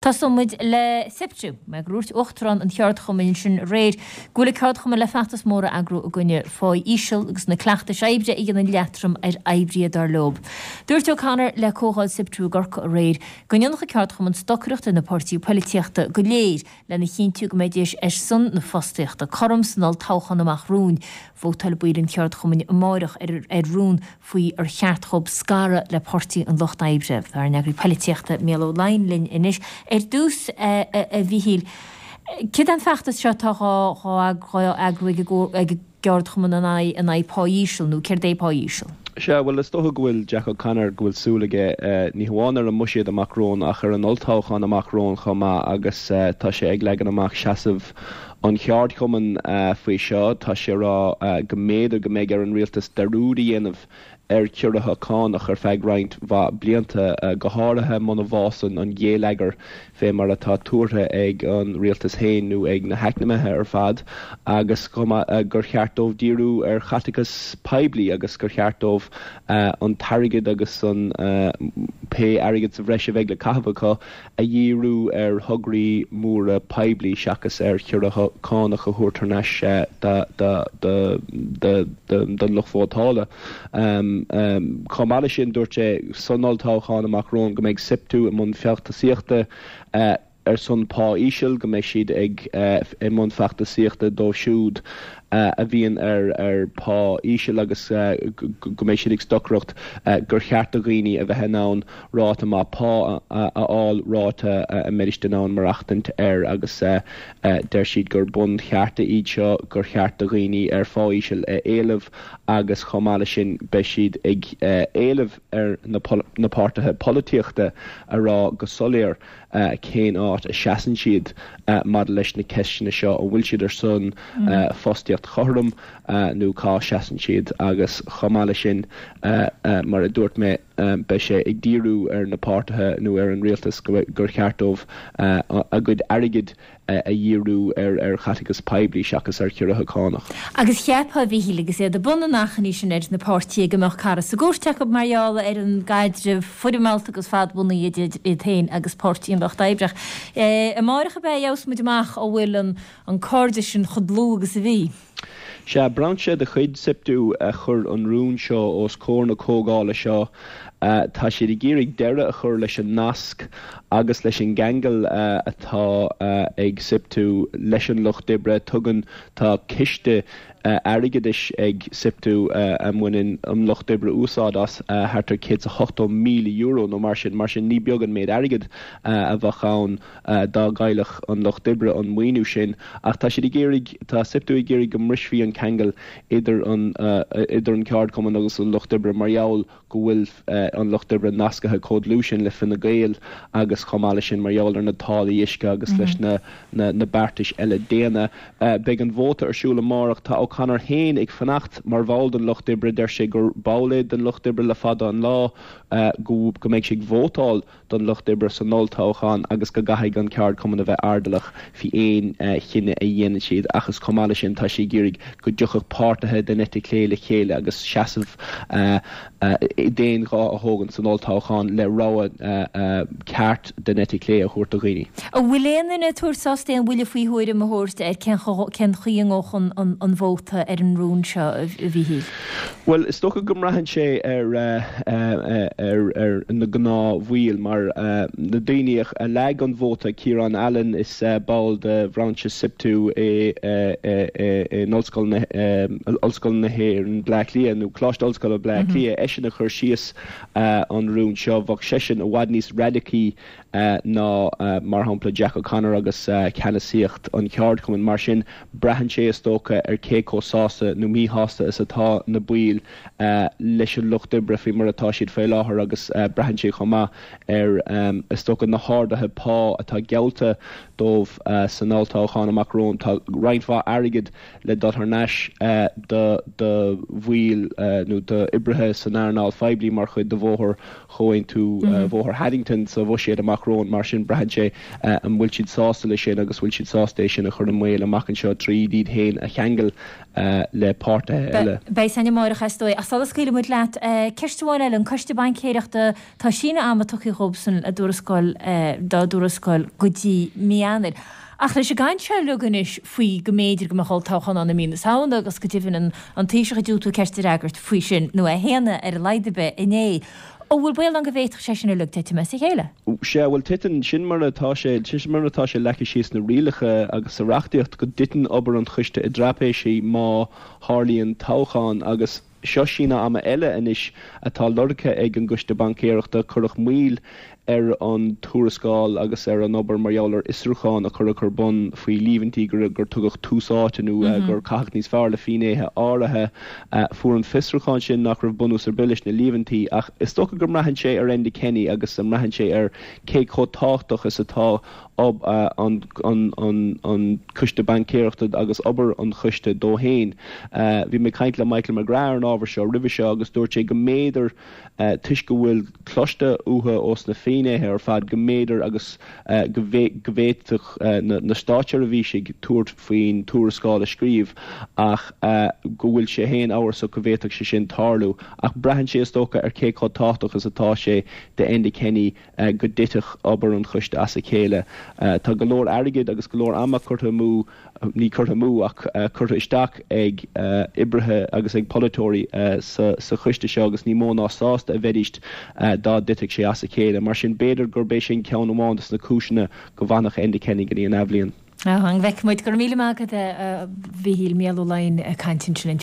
Tosóidh muid le Siptu, mar gur dhúirt Uachtarán an cheardchumainn sin aréir go bhfuil an ceardchumann le feachtas mór a eagrú i gcoinne pháí íseal agus na cleachtais oibre a dhéanann leatrom ar oibrithe dar leo. Dúirt O'Connor le comhdháil Siptu i gCorcaigh aréir go ndéanfadh an ceardchumann stocaireacht ar na páirtithe poilitíochta go léir lena chinntiú go mbeidís ar son na fostaíochta cothrom san olltoghchán amach romhainn. Vótálfaidh baill an cheardchumainn amáireach ar rún faoi ar cheart dhóibh scaradh le Páirtí an Lucht Oibre. Tá ár n-eagraí poilitíochta Mícheál Ó Laighin linn anois. Ar dtús, a Mhíchíl, céard é an feachtas seo atá dhá eagrú ag an gceardchumann in aghaidh pá íseal, nó céard é pá íseal? Sea, bhuel, is dócha go bhfuil Jack O'Connor, go bhfuil súil aige ní hamháin ar an mbuiséad amach romhainn ach ar an olltoghchán amach romhainn chomh maith agus tá sé ag leagan amach seasamh an cheardchumainn faoi seo. Tá sé ag rá go mb'fhéidir go mbeidh ar an rialtas dearúd a dhéanamh ar chiorruithe cánach ar feadh roinnt mhaith blianta, go háirithe muna bhfásann an géilleagar fé mar atá tuartha ag an rialtas féin nó ag na heacnamaithe ar fad, agus chomh maith gur cheart dóibh díriú ar chaiteachas poiblí agus gur cheart dóibh an t-airgead agus an pé airgead sa bhreis a bheidh le caitheamh acu a dhíriú ar thograí móra poiblí seachas ar chiorruithe cánach a thabhairt thar n-ais don lucht vótála. Chomh maith leis sin, dúirt sé san olltoghchán amach romhainn go mbeidh Siptu i mbun feachtasaíochta ar son pá íseal, go mbeidh siad ag i mbun feachtasaíochta dóibh siúd a bhíonn ar phá íseal agus go mbeidh siad ag stocaireacht gur cheart do dhaoine a bheith in ann ráta maith pá a fháil, ráta a mbeidís in ann maireachtaint air agus deir siad gur bunchearta iad seo, gur cheart do dhaoine ar phá íseal a éileamh agus chomh maith leis sin beidh siad ag éileamh ar na páirtithe polaitíochta a rá go soiléir cén áit a seasann siad maidir leis na ceisteanna seo, an bhfuil siad ar son fostaíocht chothrom nó cá seasann siad agus chomh maith leis sin, mar a dúirt mé, beidh sé ag díriú ar na páirtithe nó ar an rialtas gur cheart dóibh a gcuid airgid a dhíriú ar chaiteachas poiblí seachas ar chiorruithe cánach. Agus cheapfá, a Mhíchíl, agus iad i mbun an achainí sin ar na páirtithe go mbeadh cara sa gcúirt acu mar gheall ar an gcaidreamh foirmeálta agus fadbhunaithe idir iad féin agus Páirtí an Lucht Oibre. Ach amáireach ab ea a gheobhas muid amach an bhfuil an cairdeas sin chomh dlúth agus a bhí. Sea, brainse de chuid Siptu a chuir an rún seo os comhair na comhdhála seo. Tá siad ag iarraidh deireadh a chur leis an nasc agus leis an gceangal atá ag Siptu leis an Lucht Oibre. Tugann, tá ciste airgeadais ag Siptu a mbaineann an Lucht Oibre úsáid as, thart ar €180,000 nó mar sin. Mar sin, ní beag an méid airgid a bheadh ann. dá gcaillfeadh an Lucht Oibre an maoiniú sin, ach tá siad ag iarraidh, tá Siptu ag iarraidh go mbrisfí an ceangal idir an, idir an ceardchumann agus an Lucht Oibre mar gheall go bhfuil an Lucht Oibre nascaithe chomh dlúth sin le Fine Gael agus chomh maith leis sin mar gheall ar na táillí uisce agus leis na, na, na beartais eile déine. Beidh an vóta ar siúl amárach. Tá O'Connor féin ag fanacht mar bhall den Lucht Oibre. Deir sé gur ball é den Lucht Oibre le fada an lá, go, go mbeidh sé ag vótáil don Lucht Oibre san olltoghchán agus go gcaithfidh an ceardchumann a bheith airdeallach faoi aon chinneadh a dhéanann siad ach is chomh maith leis sin tá sé ag iarraidh go dtiocfadh páirtithe den eite chlé le chéile agus seasamh d'aon ghuth a thógaint san olltoghchán le rogha ceart den eite chlé a thabhairt do dhaoine. An bhfuil aon duine ag tabhairt sásta aon bhuille faoi thuairim a thabhairt ar cén chaoi a ngabhfaidh an vóta ar an rún seo, a Mhíchíl? Bhuel, is dócha go mbraitheann sé ar ar na gnáthbhaill, mar na daoine a leag an vóta, Ciarán Allen, is ball de bhrainse Siptu é in Ollscoil na Ollscoil na hÉireann, Bleá Cliath, nó Coláiste Ollscoile Bleá Cliath, eisean a chuir síos an rún seo. Bheadh seisean i bhfad níos raidicí ná, mar shampla, Jack O'Connor agus ceannasaíocht an cheardchumainn. Mar sin, braitheann sé, is dócha, ar cé chomh sásta nó míshásta is atá na baill leis an Lucht Oibre faoi mar atá siad faoi láthair agus braitheann sé chomh maith ar, is dócha, na harduithe pá atá geallta dóibh san olltoghchán amach romhainn. Tá roinnt mhaith airgid le dul thar n-ais do bhaill nó d'oibrithe san earnáil phoiblí mar chuid de bhóthar Chomhaontú Bhóthar Haddington sa bhuiséad amach. amach romhainn. Mar sin, braitheann sé an bhfuil siad sásta leis sin agus bhfuil siad sásta é sin a chur i mbaol amach anseo tríd iad féin a cheangal le páirtithe eile. Beidh a fhios againn amárach is dóigh. Ach sula scaoilfidh muid leat, ceist amháin eile, an Coiste Baincéireachta, tá síneadh ama tugtha dhóibhsan a dtuarascáil, dá dtuarascáil go dtí mí Eanáir. Ach leis an gcaint seo uilig anois faoi go mb'fhéidir go mbeadh olltoghchán ann i mí na Samhna agus go deimhin an an Taoiseach ag diúltú ceist a fhreagairt faoi sin, nó é a shéanadh ar a laghad ar bith inné, an bhfuil baol ann go bhféadfadh sé sin uilig titim as a chéile? Sea, bhuel titeann, sin mar atá sé, sin mar atá sé leagtha síos sna rialacha agus sa reachtaíocht go dtiteann obair an choiste i dtraipéisí má tharlaíonn toghchán agus seo síneadh ama eile anois atá lorgtha ag an gCoiste Baincéireachta. Cuireadh moill ar an tuarascáil agus ar an obair mar gheall ar fhiosrúchán a cuireadh ar bun faoi líomhaintí gur tugadh tús áite nó gur caitheadh níos fearr le finnéithe áirithe. Fuair an fiosrúchán sin nach raibh bunús ar bith leis na líomhaintí ach is dócha go mbraitheann sé ar Enda Kenny agus a mbraitheann sé ar cé chomh tábhachtach is atá an Coiste Baincéireachta agus obair an choiste dó féin. Bhí mé ag caint le Michael McGrath ar an ábhar seo roimhe seo agus dúirt sé go mb'fhéidir, toisc go bhfuil cloiste uathu ós na finnéithe ar fad, go mb'fhéidir agus go bhféadfadh na státseirbhísigh tabhairt faoin tuarascáil a scríobh ach go bhfuil sé féin amhrasach go bhféadfadh sé sin tarlú. Ach braitheann sé is dócha ar cé chomh tábhachtach is atá sé d'Enda Kenny go dtitfeadh obair an choiste as a chéile. Tá go leor airgid agus go leor ama curtha amú, ní curtha amú ach curtha isteach ag oibrithe agus ag polaiteoirí sa choiste seo agus ní mó ná sásta a bheidíst dá dtitfeadh sé as a chéile. Mar sin b'fhéidir gurb é sin ceann amháin de na cúiseanna go bhfanfadh Enda Kenny go dtí an athbhliain. An bhfeicfidh muid. Go raibh míle maith agat a Mhíchíl, Mícheál Ó Laighin ag caint ansin.